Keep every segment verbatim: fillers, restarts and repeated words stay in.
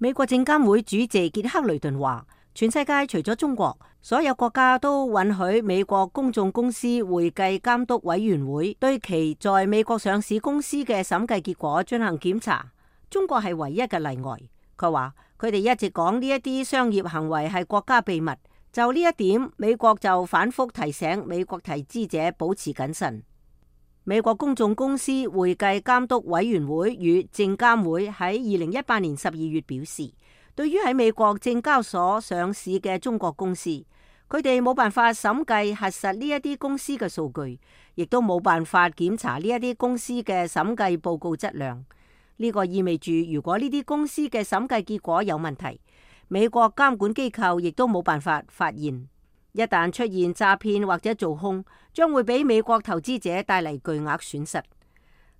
美國證監會主席傑克雷頓話，全世界除咗中國，所有國家都允許美國公眾公司會計監督委員會對其在美國上市公司嘅審計結果進行檢查。中國係唯一嘅例外。佢話佢哋一直講呢一啲商業行為係國家秘密，就呢一點，美國就反覆提醒美國投資者保持謹慎。美國公眾公司會計監督委員會與證監會喺二零一八年十二月表示，對於喺美國證交所上市嘅中國公司，佢哋冇辦法審計核實呢一啲公司嘅數據，亦都冇辦法檢查呢一啲公司嘅審計報告質量。呢個意味住，如果呢啲公司嘅審計結果有問題，美國監管機構亦都冇辦法發現。一旦出現詐騙或者做空，將會俾美國投資者帶嚟巨額損失。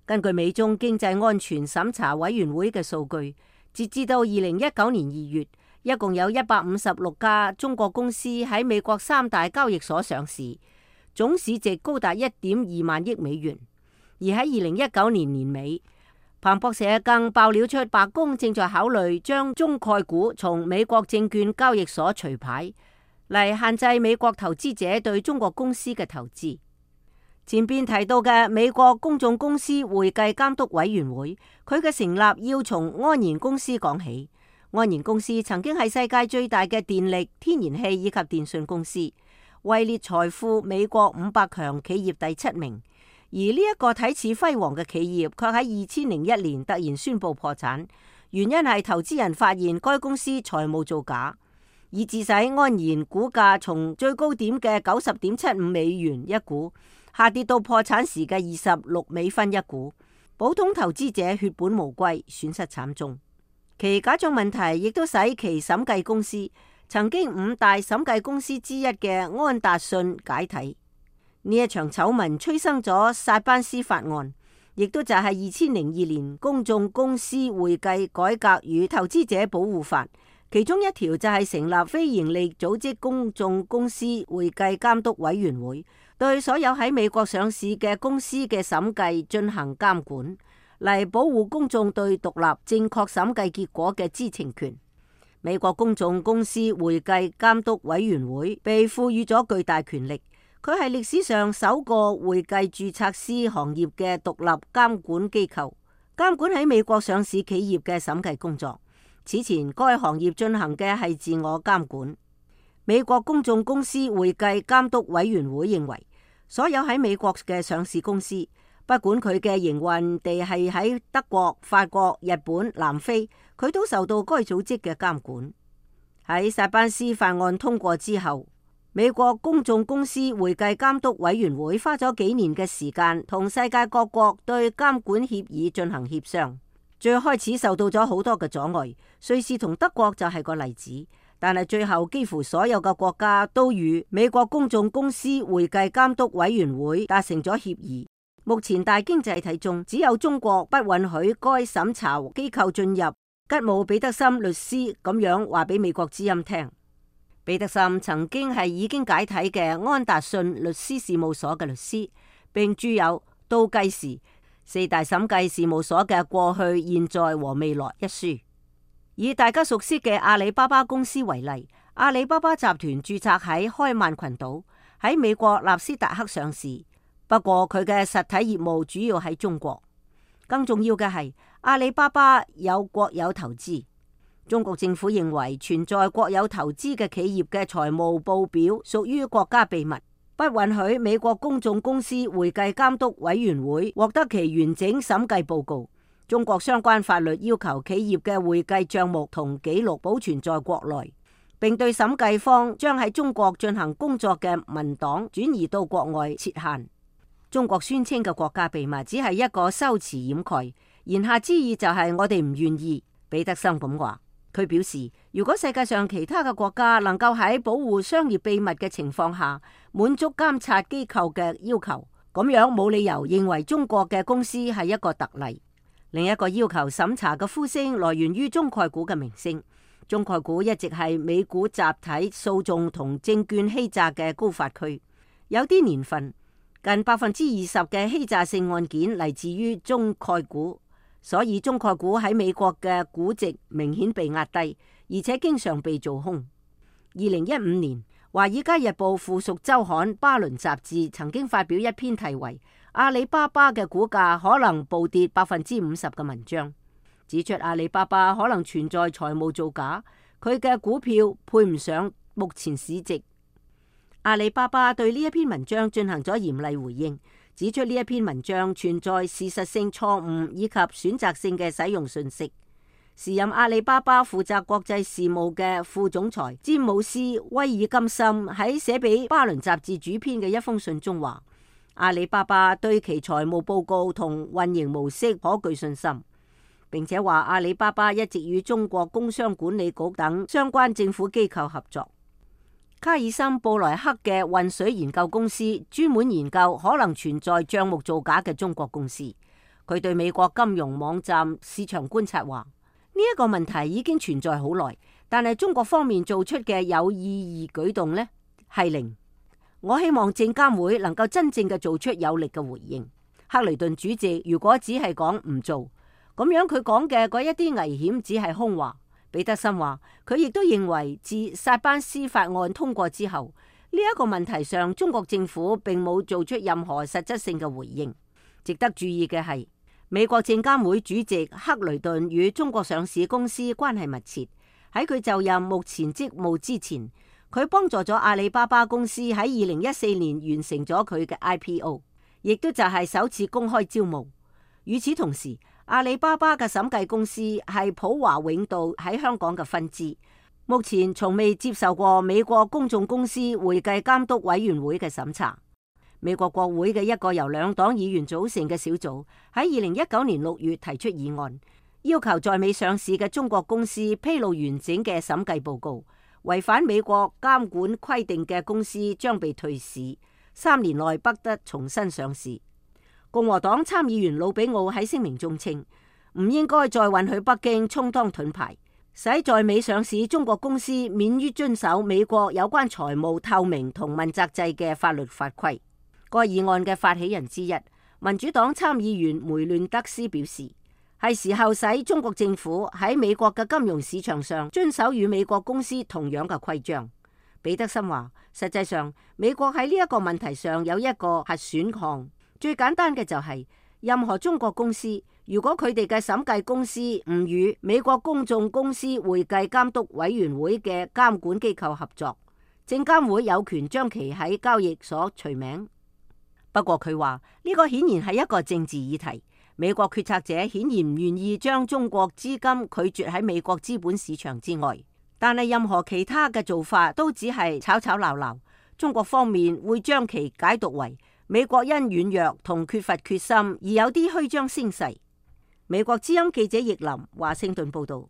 根據美中經濟安全審查委員會嘅數據，截至到二零一九年二月，一共有一百五十六家中國公司喺美國三大交易所上市，總市值高達一點二萬億美元。而喺二零一九年年尾，彭博社更爆料出白宮正在考慮將中概股從美國證券交易所除牌，嚟限制美國投資者對中國公司嘅投資。前邊提到嘅美國公眾公司會計監督委員會，佢嘅成立要從安然公司講起。安然公司曾經係世界最大嘅電力、天然氣以及電信公司，位列財富美國五百強企業第七名。而呢一個睇似輝煌嘅企業，卻喺二千零一年突然宣布破產，原因係投資人發現該公司財務造假，以致使安然股價從最高點嘅九十點七五美元一股，下跌到破產時嘅二十六美分一股，普通投資者血本無歸，損失慘重。其假賬問題亦都使其審計公司曾經五大審計公司之一嘅安達信解體。呢一場醜聞催生咗薩班斯法案，亦都就係二千零二年公眾公司會計改革與投資者保護法，其中一條就係成立非營利組織公眾公司會計監督委員會，對所有喺美國上市嘅公司嘅審計進行監管，嚟保護公眾對獨立正確審計結果嘅知情權。美國公眾公司會計監督委員會被賦予咗巨大權力，佢係歷史上首個會計註冊師行業嘅獨立監管機構，監管喺美國上市企業嘅審計工作。此前該行業進行嘅係自我監管。美國公眾公司會計監督委員會認為，所有喺美國嘅上市公司，不管佢嘅營運地係喺德國、法國、日本、南非，佢都受到該組織嘅監管。喺薩班斯法案通過之後，美國公眾公司會計監督委員會花咗幾年嘅時間，同世界各國對監管協議進行協商。最開始受到咗好多嘅阻礙，瑞士同德國就係個例子。但係最後幾乎所有嘅國家都與美國公眾公司會計監督委員會達成咗協議。目前大經濟體中，只有中國不允許該審查機構進入。吉姆彼得森律師咁樣話俾美國之音聽。彼得森曾經係已經解體嘅安達信律師事務所嘅律師，並著有《倒計時：四大審計事務所嘅過去、現在和未來》一書。以大家熟悉嘅阿里巴巴公司為例，阿里巴巴集團註冊喺開曼群島，喺美國納斯達克上市。不過佢嘅實體業務主要喺中國。更重要嘅係，阿里巴巴有國有投資。中國政府認為存在國有投資嘅企業嘅財務報表屬於國家秘密，不允許美國公眾公司會計監督委員會獲得其完整審計報告。中國相關法律要求企業嘅會計賬目同記錄保存在國內，並對審計方將喺中國進行工作嘅文檔轉移到國外設限。中國宣稱嘅國家秘密只係一個修辭掩蓋，言下之意就係我哋唔願意。彼得森咁話，佢表示，如果世界上其他嘅國家能夠喺保護商業秘密嘅情況下滿足監察機構嘅要求，咁樣冇理由認為中國嘅公司係一個特例。另一個要求審查嘅呼聲來源於中概股嘅名聲。中概股一直係美股集體訴訟同證券欺詐嘅高發區，有啲年份近百分之二十嘅欺詐性案件嚟自於中概股。所以中概股喺美國嘅估值明顯被壓低，而且經常被做空。二零一五年，《華爾街日報》附屬週刊巴倫雜誌曾經發表一篇題為《阿里巴巴嘅股價可能暴跌百分之五十》嘅文章，指出阿里巴巴可能存在財務造假，佢嘅股票配唔上目前市值。阿里巴巴對呢一篇文章進行咗嚴厲回應，指出呢一篇文章存在事實性錯誤以及選擇性嘅使用信息。時任阿里巴巴負責國際事務嘅副總裁詹姆斯威爾金森喺寫俾巴倫雜誌主編嘅一封信中話，阿里巴巴對其財務報告同運營模式可具信心，並且話阿里巴巴一直與中國工商管理局等相關政府機構合作。卡爾森布萊克嘅渾水研究公司專門研究可能存在賬目造假嘅中國公司。佢對美國金融網站市場觀察話，呢一個問題已經存在好耐，但係中國方面做出嘅有意義舉動呢係零。我希望證監會能夠真正嘅做出有力嘅回應。克雷頓主席如果只係講唔做，咁樣佢講嘅嗰一啲危險只係空話。彼得森話，佢亦都認為自薩班斯法案通過之後，呢一個問題上中國政府並冇做出任何實質性嘅回應。值得注意嘅係，美國證監會主席克雷頓與中國上市公司關係密切。喺佢就任目前職務之前，佢幫助咗阿里巴巴公司喺二零一四年完成咗佢嘅 I P O， 亦都就係首次公開招募。與此同時，阿里巴巴嘅審計公司係普華永道喺香港嘅分支，目前從未接受過美國公眾公司會計監督委員會嘅審查。美國國會嘅一個由兩黨議員組成嘅小組喺二零一九年六月提出議案，要求在美上市嘅中國公司披露完整嘅審計報告，違反美國監管規定嘅公司將被退市，三年內不得重新上市。共和黨參議員魯比奧喺聲明中稱，唔應該再允許北京充當盾牌，使在美上市中國公司免於遵守美國有關財務透明同問責制嘅法律法規。該議案嘅發起人之一，民主黨參議員梅亂德斯表示，係時候使中國政府喺美國嘅金融市場上遵守與美國公司同樣嘅規章。彼得森話，實際上美國喺呢一個問題上有一個核選項。最簡單嘅就係，任何中國公司如果佢哋嘅審計公司唔與美國公眾公司會計監督委員會嘅監管機構合作，證監會有權將其喺交易所除名。不過佢話呢個顯然係一個政治議題，美國決策者顯然唔願意將中國資金拒絕喺美國資本市場之外，但係任何其他嘅做法都只係吵吵鬧鬧，中國方面會將其解讀為美國因軟弱同缺乏決心而有啲虛張聲勢。美國之音記者易林華盛頓報道。